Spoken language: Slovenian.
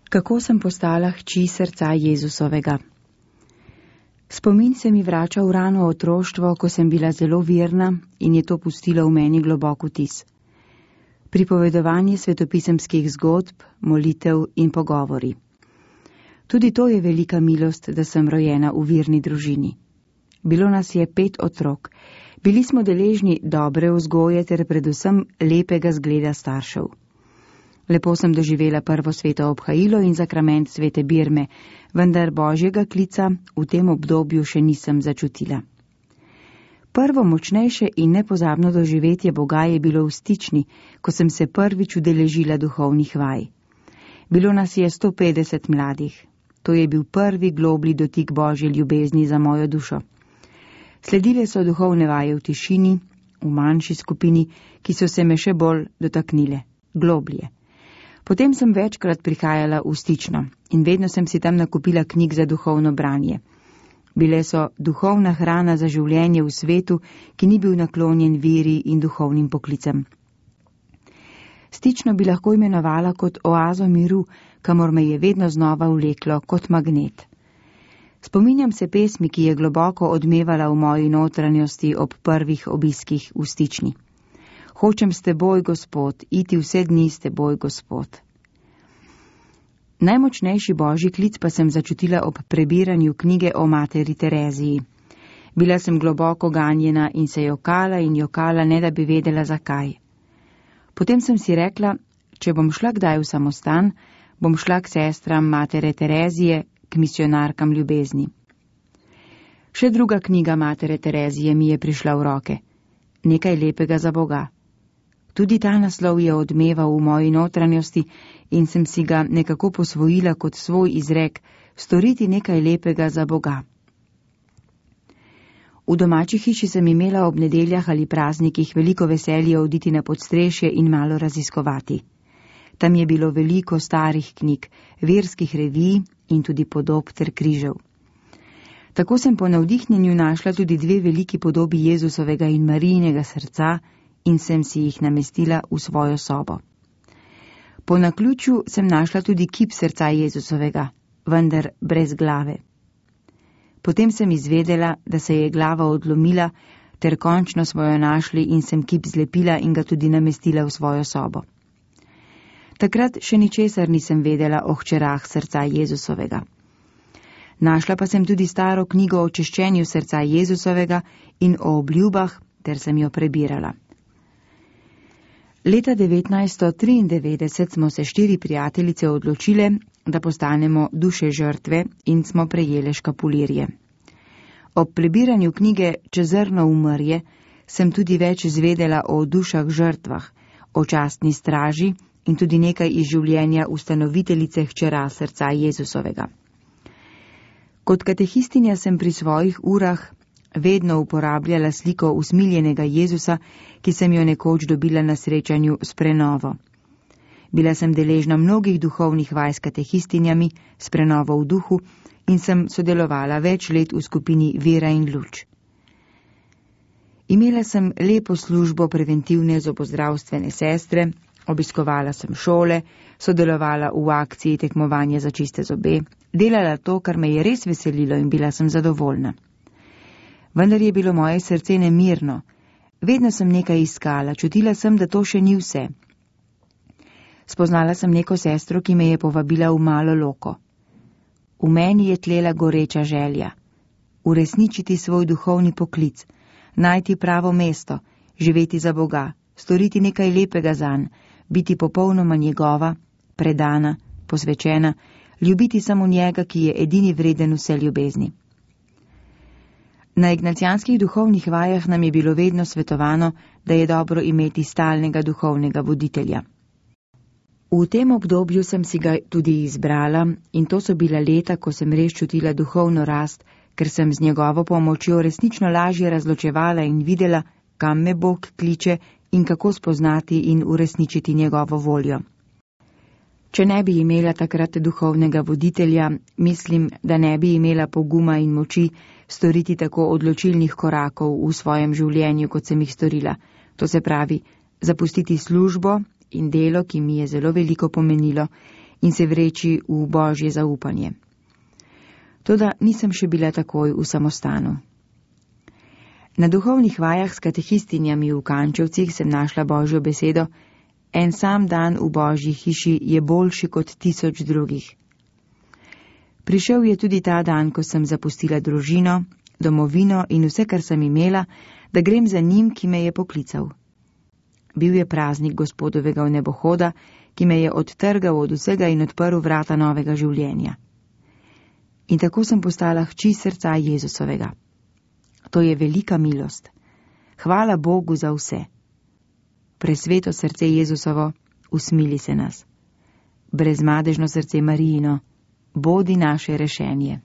Kako sem postala hči srca Jezusovega. Spomin se mi vrača v rano otroštvo, ko sem bila zelo verna in je to pustilo v meni globok vtis. Pripovedovanje svetopisemskih zgodb, molitev in pogovori. Tudi to je velika milost, da sem rojena v verni družini. Bilo nas je 5 otrok. Bili smo deležni dobre vzgoje ter predvsem lepega zgleda staršev. Lepo sem doživela prvo sveto obhajilo in zakrament svete birme, vendar božjega klica v tem obdobju še nisem začutila. Prvo močnejše in nepozabno doživetje Boga je bilo v Stični, ko sem se prvič udeležila duhovnih vaj. Bilo nas je 150 mladih. To je bil prvi globlji dotik Božje ljubezni za mojo dušo. Sledile so duhovne vaje v tišini, v manjši skupini, ki so se me še bolj dotaknile, globlje. Potem sem večkrat prihajala v Stično in vedno sem si tam nakupila knjig za duhovno branje. Bile so duhovna hrana za življenje v svetu, ki ni bil naklonjen veri in duhovnim poklicem. Stično bi lahko imenovala kot oazo miru, kamor me je vedno znova vleklo kot magnet. Spominjam se pesmi, ki je globoko odmevala v moji notranjosti ob prvih obiskih v Stični. Hočem s teboj, Gospod, iti vse dni s teboj, Gospod. Najmočnejši božji klic pa sem začutila ob prebiranju knjige o materi Tereziji. Bila sem globoko ganjena in se jokala in jokala, ne da bi vedela zakaj. Potem sem si rekla, če bom šla kdaj v samostan, bom šla k sestram matere Terezije, k misionarkam ljubezni. Še druga knjiga matere Terezije mi je prišla v roke. Nekaj lepega za Boga. Tudi ta naslov je odmeval v moji notranjosti in sem si ga nekako posvojila kot svoj izrek, storiti nekaj lepega za Boga. V domači hiši sem imela ob nedeljah ali praznikih veliko veselje oditi na podstrešje in malo raziskovati. Tam je bilo veliko starih knjig, verskih revij in tudi podob ter križev. Tako sem po navdihnjenju našla tudi 2 veliki podobi Jezusovega in Marijinega srca in sem si jih namestila v svojo sobo. Po naključju sem našla tudi kip srca Jezusovega, vendar brez glave. Potem sem izvedela, da se je glava odlomila, ter končno smo jo našli in sem kip zlepila in ga tudi namestila v svojo sobo. Takrat še ničesar nisem vedela o hčerah srca Jezusovega. Našla pa sem tudi staro knjigo o čiščenju srca Jezusovega in o obljubah, ter sem jo prebirala. Leta 1993 smo se 4 prijateljice odločile, da postanemo duše žrtve in smo prejele škapulirje. Ob prebiranju knjige Čezrno umrje sem tudi več izvedela o dušah žrtvah, o častni straži in tudi nekaj iz življenja ustanoviteljice hčera srca Jezusovega. Kot katehistinja sem pri svojih urah vedno uporabljala sliko usmiljenega Jezusa, ki sem jo nekoč dobila na srečanju s prenovo. Bila sem deležna mnogih duhovnih vaj s katehistinjami, s prenovo v duhu in sem sodelovala več let v skupini Vera in luč. Imela sem lepo službo preventivne zobozdravstvene sestre, obiskovala sem šole, sodelovala v akciji tekmovanja za čiste zobe, delala to, kar me je res veselilo in bila sem zadovoljna. Vendar je bilo moje srce nemirno. Vedno sem nekaj iskala, čutila sem, da to še ni vse. Spoznala sem neko sestro, ki me je povabila v malo loko. V meni je tlela goreča želja. Uresničiti svoj duhovni poklic, najti pravo mesto, živeti za Boga, storiti nekaj lepega zanj, biti popolnoma njegova, predana, posvečena, ljubiti samo njega, ki je edini vreden vse ljubezni. Na ignacijanskih duhovnih vajah nam je bilo vedno svetovano, da je dobro imeti stalnega duhovnega voditelja. V tem obdobju sem si ga tudi izbrala in to so bila leta, ko sem res čutila duhovno rast, ker sem z njegovo pomočjo resnično lažje razločevala in videla, kam me Bog kliče in kako spoznati in uresničiti njegovo voljo. Če ne bi imela takrat duhovnega voditelja, mislim, da ne bi imela poguma in moči storiti tako odločilnih korakov v svojem življenju, kot sem jih storila. To se pravi, zapustiti službo in delo, ki mi je zelo veliko pomenilo, in se vreči v božje zaupanje. Toda nisem še bila takoj v samostanu. Na duhovnih vajah s katehistinjami v Kančevcih sem našla božjo besedo: en sam dan v božji hiši je boljši kot 1000 drugih. Prišel je tudi ta dan, ko sem zapustila družino, domovino in vse, kar sem imela, da grem za njim, ki me je poklical. Bil je praznik Gospodovega vnebohoda, ki me je odtrgal od vsega in odprl vrata novega življenja. In tako sem postala hči srca Jezusovega. To je velika milost. Hvala Bogu za vse. Presveto srce Jezusovo, usmili se nas. Brezmadežno srce Marijino, bodi naše rešenje.